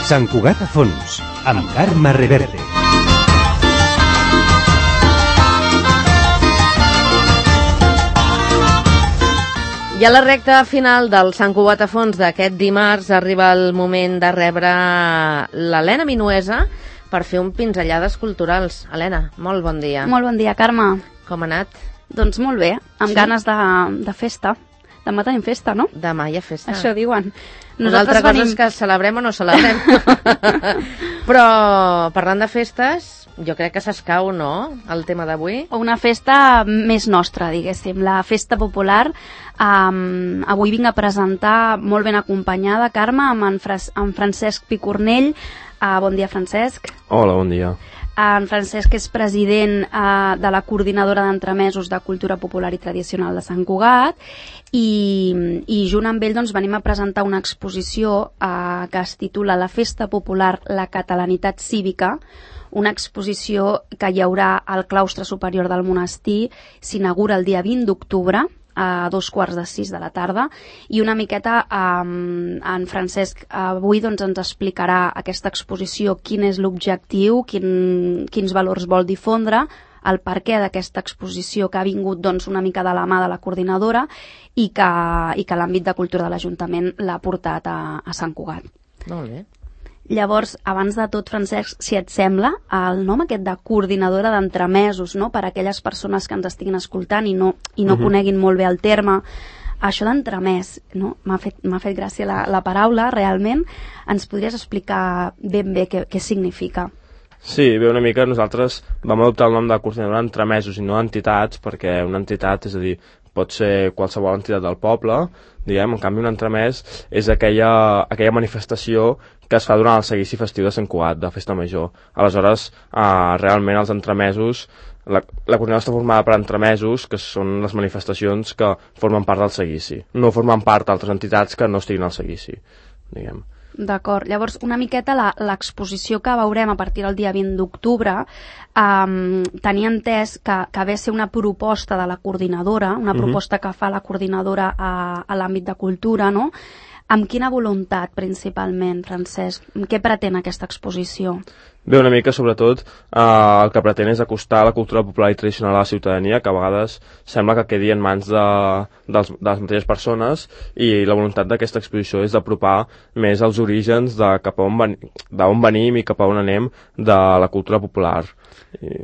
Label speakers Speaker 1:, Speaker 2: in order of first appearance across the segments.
Speaker 1: Sant Cugat a fons, amb Carme Reverte.
Speaker 2: I a la recta final del Sant Cugat a fons d'aquest dimarts arriba el moment de rebre l'Helena Minuesa per fer un pinzellades culturals. Helena, molt bon dia.
Speaker 3: Molt bon dia, Carme.
Speaker 2: Com ha anat?
Speaker 3: Doncs molt bé, amb ganes de festa. Demà tenim festa, no?
Speaker 2: Demà hi ha festa.
Speaker 3: Això diuen.
Speaker 2: Una altra cosa és que celebrem o no celebrem. Però parlant de festes, jo crec que s'escau, no?, el tema d'avui.
Speaker 3: Una festa més nostra, diguéssim, la festa popular. Avui vinc a presentar molt ben acompanyada, Carme, amb en Francesc Picornell. Bon dia, Francesc.
Speaker 4: Hola, bon dia.
Speaker 3: En Francesc és president de la Coordinadora d'Entremesos de Cultura Popular i Tradicional de Sant Cugat i junt amb ell doncs, venim a presentar una exposició que es titula La Festa Popular, la Catalanitat Cívica, una exposició que hi haurà al claustre superior del monestir, s'inaugura el dia 20 d'octubre, a 2:15 de la tarda, i una miqueta en Francesc avui doncs, ens explicarà aquesta exposició, quin és l'objectiu, quins valors vol difondre, el perquè d'aquesta exposició que ha vingut doncs, una mica de la mà de la coordinadora i que l'àmbit de cultura de l'Ajuntament l'ha portat a Sant Cugat.
Speaker 2: Molt bé.
Speaker 3: Llavors, abans de tot, Francesc, si et sembla, el nom aquest de coordinadora d'entremesos, no?, per a aquelles persones que ens estiguin escoltant i no coneguin molt bé el terme, això d'entremès, no? M'ha fet gràcia la paraula, realment. Ens podries explicar ben bé què significa?
Speaker 4: Sí, bé, una mica nosaltres vam adoptar el nom de coordinadora d'entremesos i no entitats, perquè una entitat, és a dir, pot ser qualsevol entitat del poble, diguem, en canvi un entremès és aquella manifestació que es fa durant el seguici festiu de Sant Cugat, de Festa Major. Aleshores, realment els entremesos, la coordinadora està formada per entremesos, que són les manifestacions que formen part del seguici. No formen part d'altres entitats que no estiguin al seguici, diguem.
Speaker 3: D'acord. Llavors, una miqueta l'exposició que veurem a partir del dia 20 d'octubre tenia entès que ve a ser una proposta de la coordinadora, una proposta que fa la coordinadora a l'àmbit de cultura, no? Amb quina voluntat, principalment, Francesc? Què pretén aquesta exposició?
Speaker 4: Bé, una mica, sobretot, el que pretén és acostar la cultura popular i tradicional a la ciutadania, que a vegades sembla que quedi en mans de les mateixes persones, i la voluntat d'aquesta exposició és d'apropar més els orígens de d'on venim i cap a on anem de la cultura popular.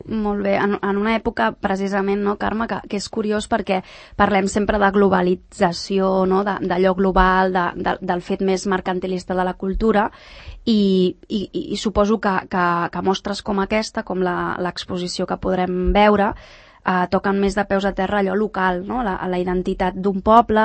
Speaker 3: Molt bé. En una època, precisament, no, Carme, que és curiós perquè parlem sempre de globalització, no, d'allò global, del fet més mercantilista de la cultura, i suposo que mostres com aquesta, com l'exposició que podrem veure, toquen més de peus a terra allò local, no? La identitat d'un poble,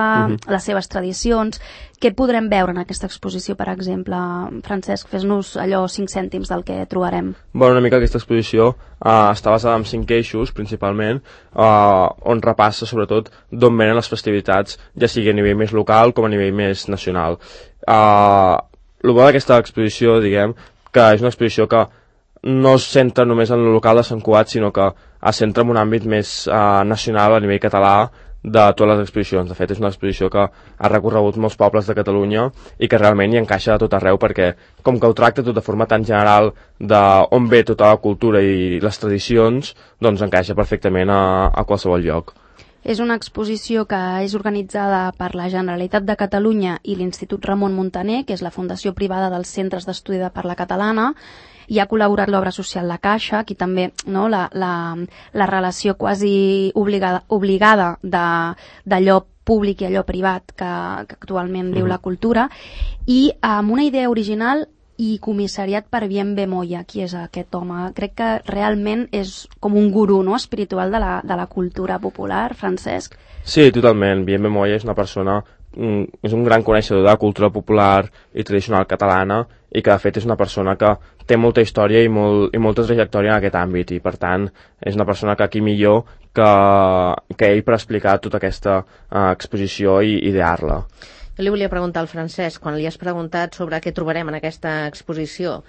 Speaker 3: les seves tradicions. Què podrem veure en aquesta exposició, per exemple? Francesc, fes-nos allò 5 cèntims del que trobarem.
Speaker 4: Bueno, una mica aquesta exposició està basada en 5 eixos, principalment, on repassa sobretot d'on venen les festivitats, ja sigui a nivell més local com a nivell més nacional. El bo d'aquesta exposició, diguem, que és una exposició que no es centra només en el local de Sant Cugat, sinó que es centra en un àmbit més nacional a nivell català de totes les exposicions. De fet, és una exposició que ha recorregut molts pobles de Catalunya i que realment hi encaixa de tot arreu, perquè com que ho tracta tot de forma tan general d'on ve tota la cultura i les tradicions, doncs encaixa perfectament a qualsevol lloc.
Speaker 3: És una exposició que és organitzada per la Generalitat de Catalunya i l'Institut Ramon Muntaner, que és la fundació privada dels Centres d'Estudi de Parla Catalana. Hi ha col·laborat l'Obra Social La Caixa, aquí també, no, la relació quasi obligada d'allò públic i allò privat que actualment viu la cultura, i amb una idea original i comissariat per Bienve Moya. Qui és aquest home? Crec que realment és com un gurú, no?, espiritual de la cultura popular, Francesc.
Speaker 4: Sí, totalment. Bienve Moya és una persona, és un gran coneixedor de la cultura popular i tradicional catalana, i que de fet és una persona que té molta història i molta trajectòria en aquest àmbit, i per tant és una persona que aquí millor que ell per explicar tota aquesta exposició i idear-la.
Speaker 2: Jo li volia preguntar al Francesc, quan li has preguntat sobre què trobarem en aquesta exposició,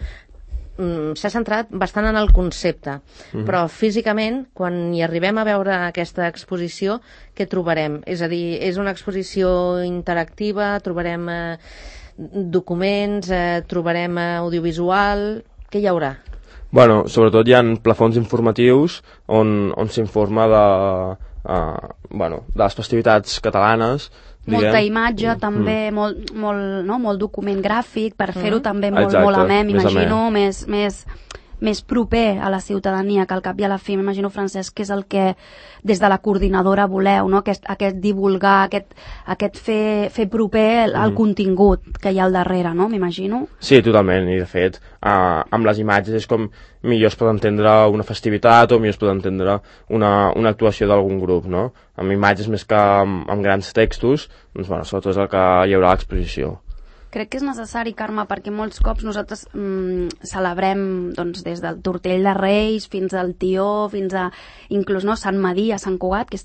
Speaker 2: s'ha centrat bastant en el concepte, però físicament, quan hi arribem a veure aquesta exposició, què trobarem? És a dir, és una exposició interactiva, trobarem documents, trobarem audiovisual, què hi haurà?
Speaker 4: Bueno, sobretot hi ha plafons informatius on s'informa de les festivitats catalanes.
Speaker 3: Molta imatge, també, molt document gràfic, per fer-ho també molt amè, m'imagino, més proper a la ciutadania, que al cap i a la fi, m'imagino, Francesc, que és el que des de la coordinadora voleu, no? Aquest divulgar, aquest fer proper el contingut que hi ha al darrere, no? M'imagino.
Speaker 4: Sí, totalment, i de fet, amb les imatges és com millor es pot entendre una festivitat o millor es pot entendre una actuació d'algun grup, no? Amb imatges més que amb grans textos, doncs, bueno, sobretot és el que hi haurà a l'exposició.
Speaker 3: Crec que és necessari, Carme, perquè molts cops nosaltres celebrem doncs, des del Tortell de Reis fins al Tió, fins a inclús Sant Madí, a Sant Cugat, que és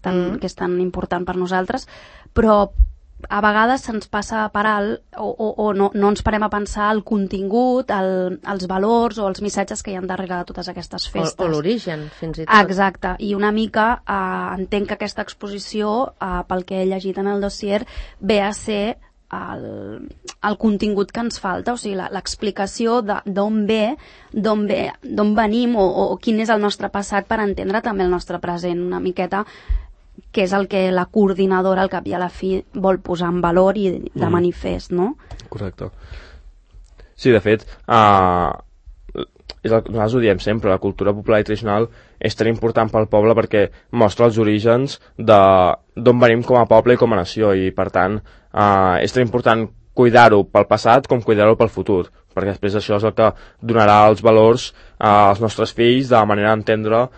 Speaker 3: tan important per nosaltres, però a vegades se'ns passa per alt o no ens parem a pensar el contingut, els valors o els missatges que hi ha darrere de totes aquestes festes.
Speaker 2: O l'origen, fins i tot.
Speaker 3: Exacte, i una mica entenc que aquesta exposició, pel que he llegit en el dossier, ve a ser el contingut que ens falta, o sigui, l'explicació d'on venim o quin és el nostre passat per entendre també el nostre present una miqueta, que és el que la coordinadora al cap i a la fi vol posar en valor i de manifest, no?
Speaker 4: Correcte. Sí, de fet, nosaltres ho diem sempre, la cultura popular i tradicional és tan important pel poble perquè mostra els orígens d'on venim com a poble i com a nació, i per tant és tan important cuidar-ho pel passat com cuidar-ho pel futur, perquè després això és el que donarà els valors als nostres fills de la manera d'entendre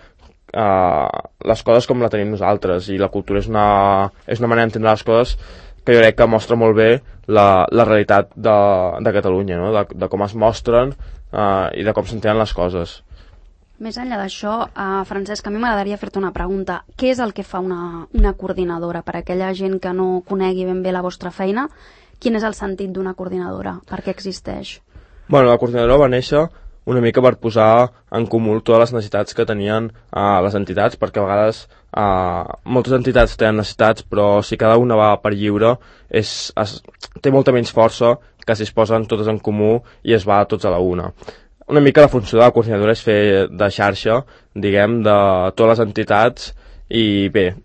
Speaker 4: les coses com la tenim nosaltres, i la cultura és una manera d'entendre les coses que jo crec que mostra molt bé la realitat de Catalunya, no? De com es mostren i de com s'entenen les coses.
Speaker 3: Més enllà d'això, Francesc, a mi m'agradaria fer-te una pregunta. Què és el que fa una coordinadora? Per a aquella gent que no conegui ben bé la vostra feina, quin és el sentit d'una coordinadora? Per què existeix?
Speaker 4: Bueno, la coordinadora va néixer una mica per posar en comú totes les necessitats que tenien les entitats, perquè a vegades moltes entitats tenen necessitats, però si cada una va per lliure té molta menys força que si es posen totes en comú i es va tots a la una. Una mica la funció de la coordinadora és fer de xarxa, diguem, de totes les entitats i bé,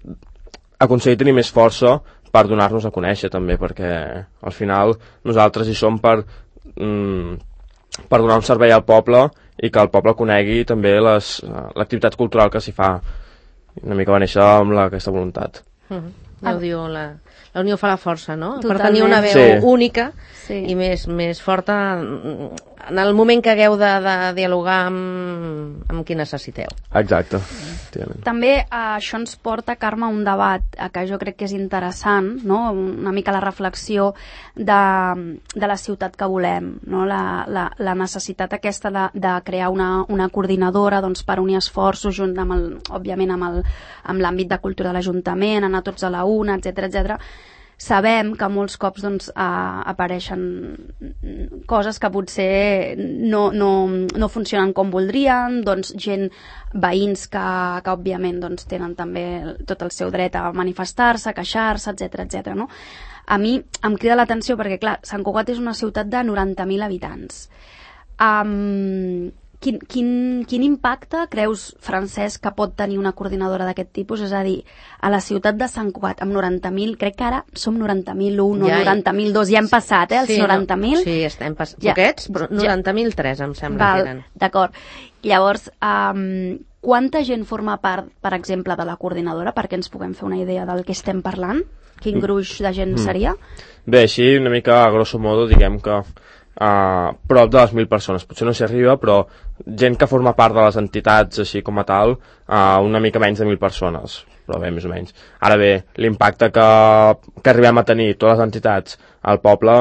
Speaker 4: aconseguir tenir més força per donar-nos a conèixer també, perquè al final nosaltres hi som per donar un servei al poble i que el poble conegui també l'activitat cultural que s'hi fa. Una mica va néixer amb aquesta voluntat.
Speaker 2: Ja ho diu, la unió fa la força, no?
Speaker 3: Totalment.
Speaker 2: Per tenir una veu única i més forta en el moment que hagueu de dialogar amb qui necessiteu.
Speaker 4: Exacte.
Speaker 3: També això ens porta, Carme, a un debat que jo crec que és interessant, no? Una mica la reflexió de la ciutat que volem, no? La necessitat aquesta de crear una coordinadora, doncs, per unir esforços junt òbviament amb l'àmbit de cultura de l'Ajuntament, anar tots a la una, etc. Sabem que molts cops doncs, apareixen coses que potser no funcionen com voldrien, doncs, veïns que òbviament doncs, tenen també tot el seu dret a manifestar-se, a queixar-se, etc. No? A mi em crida l'atenció perquè, clar, Sant Cugat és una ciutat de 90.000 habitants. Quin impacte creus, Francesc, que pot tenir una coordinadora d'aquest tipus? És a dir, a la ciutat de Sant Cugat, amb 90.000, crec que ara som 90.001 o 90.002, ja hem passat, els 90.000?
Speaker 2: Sí, estem passant. Poquets, però 90.003 em sembla que eren.
Speaker 3: D'acord. Llavors, quanta gent forma part, per exemple, de la coordinadora, perquè ens puguem fer una idea del que estem parlant? Quin gruix de gent seria?
Speaker 4: Bé, així, una mica a grosso modo, diguem que prop de les 1.000 persones, potser no s'hi arriba, però gent que forma part de les entitats així com a tal, una mica menys de 1.000 persones, però bé, més o menys. Ara bé, l'impacte que arribem a tenir totes les entitats al poble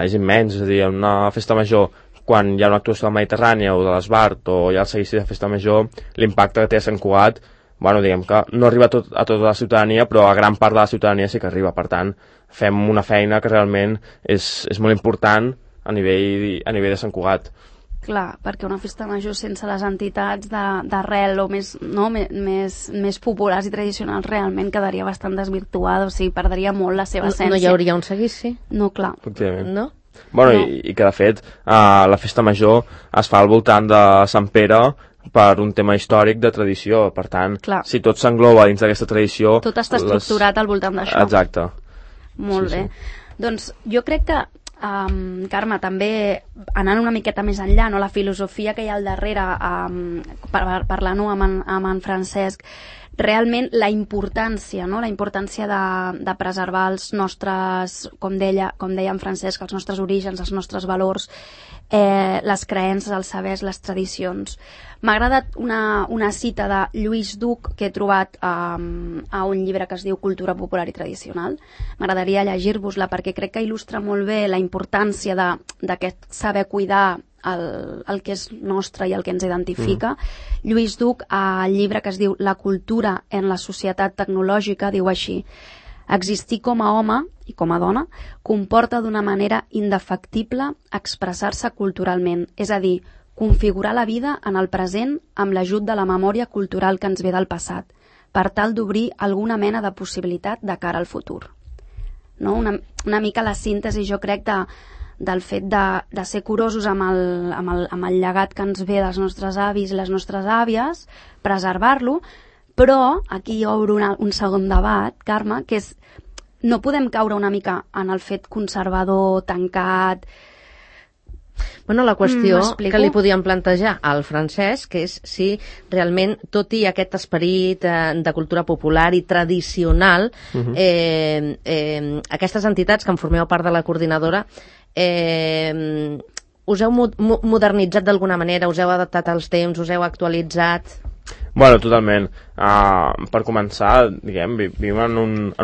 Speaker 4: és immens, és a dir, en una festa major, quan hi ha una actuació de la Mediterrània o de l'Esbart o hi ha el seguici de festa major, l'impacte que té a Sant Cugat, bueno, diguem que no arriba a tota la ciutadania, però a gran part de la ciutadania sí que arriba. Per tant, fem una feina que realment és molt important a nivell de Sant Cugat.
Speaker 3: Clar, perquè una festa major sense les entitats d'arrel o més populars i tradicionals realment quedaria bastant desvirtuada, o sigui, perdria molt la seva essència.
Speaker 2: No hi hauria un seguici?
Speaker 3: No, clar.
Speaker 2: No?
Speaker 4: Bueno, i que de fet la festa major es fa al voltant de Sant Pere per un tema històric de tradició, per tant,
Speaker 3: Clar.
Speaker 4: si tot s'engloba dins d'aquesta tradició...
Speaker 3: Tot està estructurat al voltant d'això.
Speaker 4: Exacte.
Speaker 3: Molt bé. Doncs jo crec que, Carme, també anant una miqueta més enllà, no? La filosofia que hi ha al darrere, parlant amb en Francesc, realment la importància, no? La importància de preservar els nostres, com deia en Francesc, els nostres orígens, els nostres valors, les creences, els sabers, les tradicions. M'ha agradat una cita de Lluís Duc que he trobat a un llibre que es diu Cultura popular i tradicional. M'agradaria llegir-vos-la perquè crec que il·lustra molt bé la importància d'aquest saber cuidar el que és nostre i el que ens identifica. Lluís Duc, al llibre que es diu La cultura en la societat tecnològica, diu així: existir com a home i com a dona comporta d'una manera indefectible expressar-se culturalment, és a dir, configurar la vida en el present amb l'ajut de la memòria cultural que ens ve del passat, per tal d'obrir alguna mena de possibilitat de cara al futur. No? Una mica la síntesi, jo crec, del fet de ser curosos amb el llegat que ens ve dels nostres avis i les nostres àvies, preservar-lo, però aquí obro un segon debat, Carme, que és no podem caure una mica en el fet conservador, tancat.
Speaker 2: Bueno, la qüestió que li podíem plantejar al Francesc és si realment, tot i aquest esperit de cultura popular i tradicional, aquestes entitats que en formeu part de la coordinadora, us heu modernitzat d'alguna manera, us heu adaptat als temps, us heu actualitzat?
Speaker 4: Bueno, totalment. Per començar, diguem, vivim en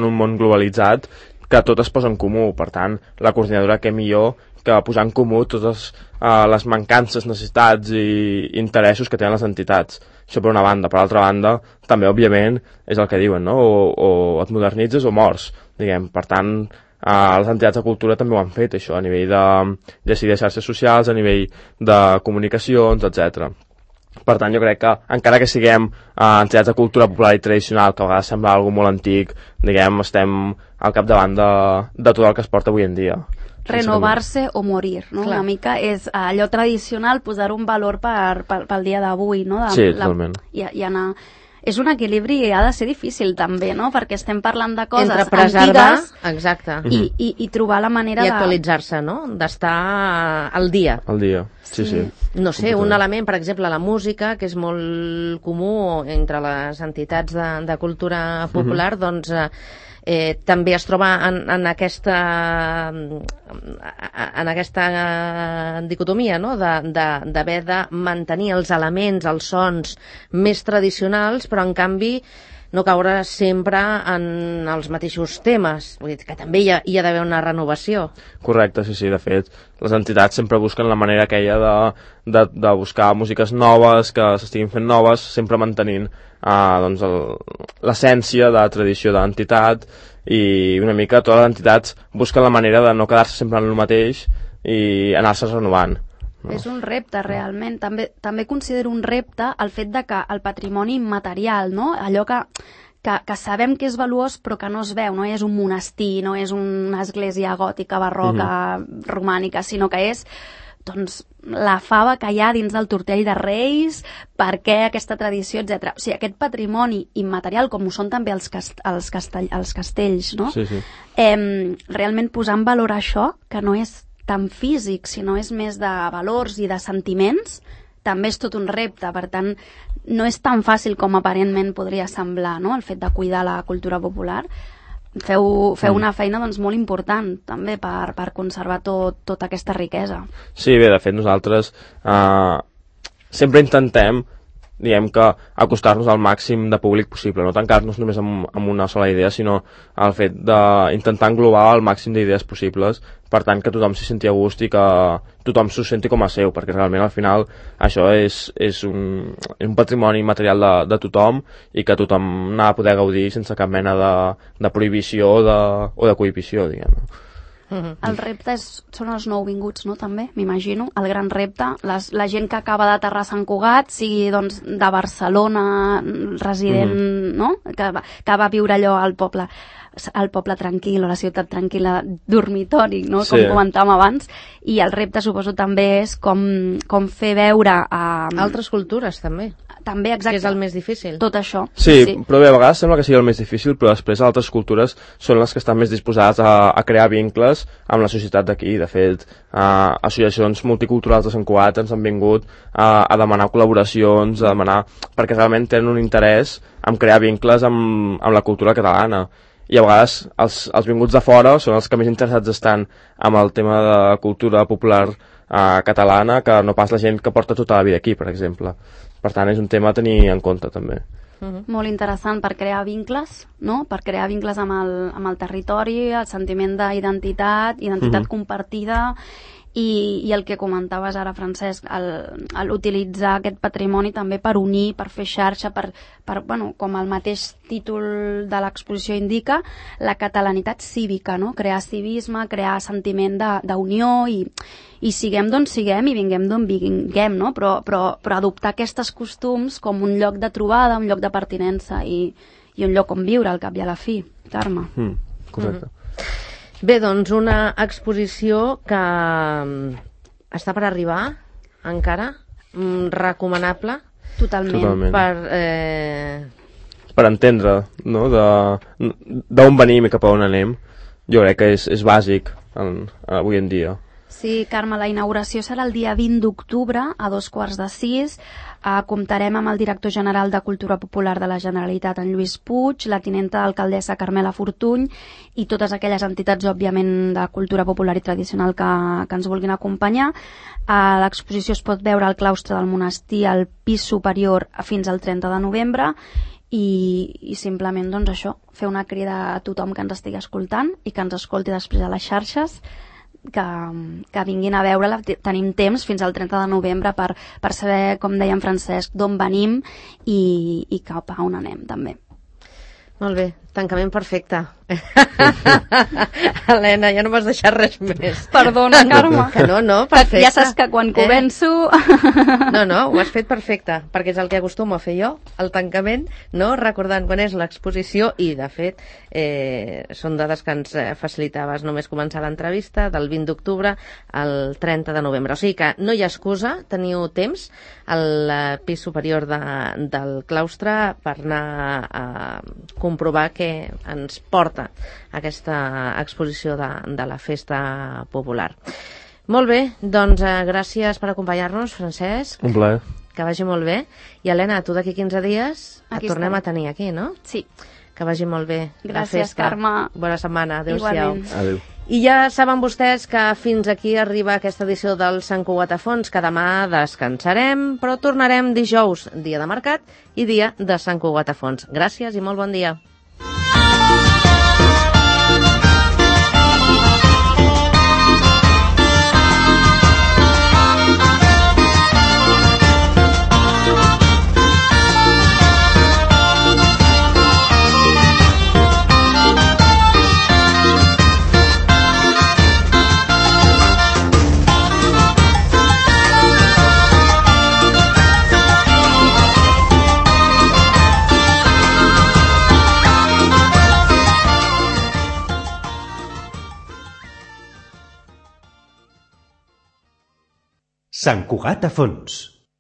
Speaker 4: un món globalitzat que tot es posa en comú. Per tant, la coordinadora, què millor que posar en comú totes les mancances, necessitats i interessos que tenen les entitats. Això per una banda. Per l'altra banda, també, òbviament, és el que diuen, no? O et modernitzes o mors, diguem. Per tant, les entitats de cultura també ho han fet, això, a nivell de xarxes socials, a nivell de comunicacions, etc. Per tant, jo crec que, encara que siguem entitats de cultura popular i tradicional, que a vegades sembla algo molt antic, diguem, estem al capdavant de tot el que es porta avui en dia.
Speaker 3: Renovar-se o morir, no? Clar. Una mica és allò tradicional, posar un valor pel dia d'avui, no?
Speaker 4: Sí, totalment.
Speaker 3: I anar... És un equilibri i ha de ser difícil també, no? Perquè estem parlant de coses
Speaker 2: entre preservar,
Speaker 3: antigues,
Speaker 2: exacte,
Speaker 3: i trobar la manera
Speaker 2: i actualitzar-se, no? D'estar al dia.
Speaker 4: Al dia, sí.
Speaker 2: No sé, un element, per exemple, la música, que és molt comú entre les entitats de cultura popular, doncs també es troba en aquesta dicotomia, no? D'haver de mantenir els elements, els sons més tradicionals, però en canvi no caure sempre en els mateixos temes. Vull dir que també hi ha d'haver una renovació.
Speaker 4: Correcte, sí. De fet, les entitats sempre busquen la manera aquella de buscar músiques noves, que s'estiguin fent noves, sempre mantenint doncs l'essència de la tradició de l'entitat, i una mica totes les entitats busquen la manera de no quedar-se sempre en el mateix i anar-se renovant. No?
Speaker 3: És un repte, realment. També considero un repte el fet de que el patrimoni immaterial, no? Allò que sabem que és valuós però que no es veu, no és un monestir, no és una església gòtica, barroca, romànica, sinó que és doncs, la fava que hi ha dins del tortell de Reis, per què aquesta tradició, etc. O sigui, aquest patrimoni immaterial, com ho són també els castells, no?
Speaker 4: Sí.
Speaker 3: Realment posar en valor això, que no és tan físic, sinó és més de valors i de sentiments, també és tot un repte. Per tant, no és tan fàcil com aparentment podria semblar, no?, el fet de cuidar la cultura popular. Feu una feina doncs, molt important també per conservar tota aquesta riquesa.
Speaker 4: Sí, bé, de fet nosaltres sempre intentem, diguem que, acostar-nos al màxim de públic possible, no tancar-nos només amb una sola idea, sinó el fet d'intentar englobar el màxim d'idees possibles, per tant que tothom s'hi senti a gust i que tothom s'ho senti com a seu, perquè realment al final això és un patrimoni material de tothom i que tothom n'ha de poder gaudir sense cap mena de prohibició o de cohibició, diguem.
Speaker 3: El repte són els nouvinguts, no?, també, m'imagino, el gran repte, la gent que acaba d'aterrar a Sant Cugat, sigui doncs de Barcelona, resident, no?, que va viure allò al poble tranquil o la ciutat tranquil·la, dormitori, no?, com comentàvem abans, i el repte suposo també és com fer veure a...
Speaker 2: Altres cultures també.
Speaker 3: També, exacte.
Speaker 2: Que és el més difícil.
Speaker 3: Tot això.
Speaker 4: Sí, però bé, a vegades sembla que sigui el més difícil, però després altres cultures són les que estan més disposades a crear vincles amb la societat d'aquí. De fet, associacions multiculturals de Sant Cugat ens han vingut a demanar col·laboracions, a demanar... perquè realment tenen un interès en crear vincles amb la cultura catalana. I a vegades els vinguts de fora són els que més interessats estan amb el tema de cultura popular catalana que no pas la gent que porta tota la vida aquí, per exemple. Per tant, és un tema a tenir en compte, també.
Speaker 3: Molt interessant per crear vincles, no?, per crear vincles amb el territori, el sentiment d'identitat, compartida, i el que comentaves ara, Francesc, l'utilitzar aquest patrimoni també per unir, per fer xarxa, bueno, com el mateix títol de l'exposició indica, la catalanitat cívica, no?, crear civisme, crear sentiment d'unió i siguem d'on siguem i vinguem d'on vinguem, no?, però adoptar aquests costums com un lloc de trobada, un lloc de pertinença i un lloc on viure al cap i a la fi. Carme.
Speaker 4: Correcte.
Speaker 2: Bé, doncs una exposició que està per arribar encara, recomanable.
Speaker 3: Totalment.
Speaker 4: Per entendre, no?, d'on venim i cap a on anem, jo crec que és bàsic avui en dia.
Speaker 3: Sí, Carme, la inauguració serà el dia 20 d'octubre a 5:15. Comptarem amb el director general de Cultura Popular de la Generalitat, en Lluís Puig, la tinenta alcaldessa Carmela Fortuny i totes aquelles entitats, òbviament, de cultura popular i tradicional que ens vulguin acompanyar. L'exposició es pot veure al claustre del monestir al pis superior fins al 30 de novembre i simplement, doncs això, fer una crida a tothom que ens estigui escoltant i que ens escolti després a les xarxes, que vinguin a veure-la. Tenim temps fins al 30 de novembre per saber, com deia en Francesc, d'on venim i cap a on anem també.
Speaker 2: Molt bé, tancament perfecte. Helena, ja no m'has deixat res més.
Speaker 3: Perdona, Carme.
Speaker 2: Que no, perfecte.
Speaker 3: Ja saps que quan començo...
Speaker 2: No, ho has fet perfecte, perquè és el que acostumo a fer jo, el tancament, no? Recordant quan és l'exposició i, de fet, són dades que ens facilitaves només començar l'entrevista, del 20 d'octubre al 30 de novembre. O sigui que no hi ha excusa, teniu temps al pis superior del claustre per anar a comprovar què ens porta aquesta exposició de la festa popular. Molt bé, doncs gràcies per acompanyar-nos, Francesc.
Speaker 4: Un plaer.
Speaker 2: Que vagi molt bé. I Helena, tu d'aquí 15 dies
Speaker 3: aquí
Speaker 2: et tornem a tenir aquí, no?
Speaker 3: Sí.
Speaker 2: Que vagi molt bé.
Speaker 3: Gràcies, Carme.
Speaker 2: Bona setmana. Adéu-siau.
Speaker 4: Adéu.
Speaker 2: I ja saben vostès que fins aquí arriba aquesta edició del Sant Cugat a Fons, que demà descansarem, però tornarem dijous, dia de mercat i dia de Sant Cugat a Fons. Gràcies i molt bon dia.
Speaker 1: Sant Cugat a Fons.